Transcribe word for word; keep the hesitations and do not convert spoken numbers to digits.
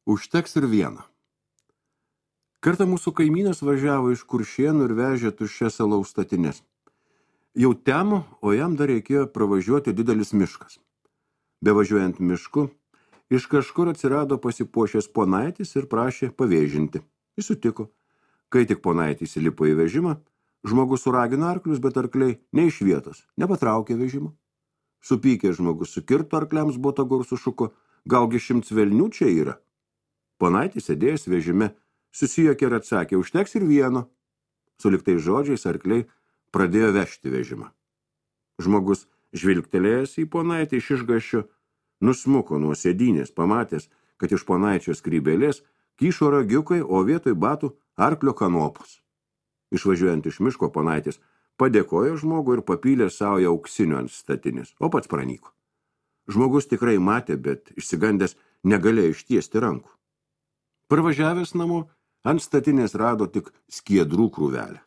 Užteks ir vieno. Kartą mūsų kaimynas važiavo iš Kuršėnų ir vežė tuščias alaus statines. Jau temo, o jam dar reikėjo pravažiuoti didelis miškas. Bevažiuojant mišku, iš kažkur atsirado pasipuošęs ponaitis ir prašė pavėžinti. Jis sutiko. Kai tik ponaitis įlipo į vežimą, žmogus suragino arklius, bet arkliai ne iš vietos, nepatraukė vežimo. Supykė žmogus sukirto arkliams botagu ir sušuko, galgi šimts velnių čia yra. Ponaitis sėdėjęs vežime, susijokė ir atsakė, užteks ir vieno. Suliktais žodžiais arkliai pradėjo vežti vežimą. Žmogus, žvilgtelėjęs į ponaitį iš išgąsčio, nusmuko nuo sėdynės, pamatęs, kad iš ponaičio skrybėlės kyšo ragiukai, o vietoj batų arklio kanopos. Išvažiuojant iš miško, ponaitis padėkojo žmogui ir papylė savo auksinių ant statinės, o pats pranyko. Žmogus tikrai matė, bet išsigandęs negalėjo ištiesti rankų. Parvažiavęs namo, ant statinės rado tik skiedrų krūvelę.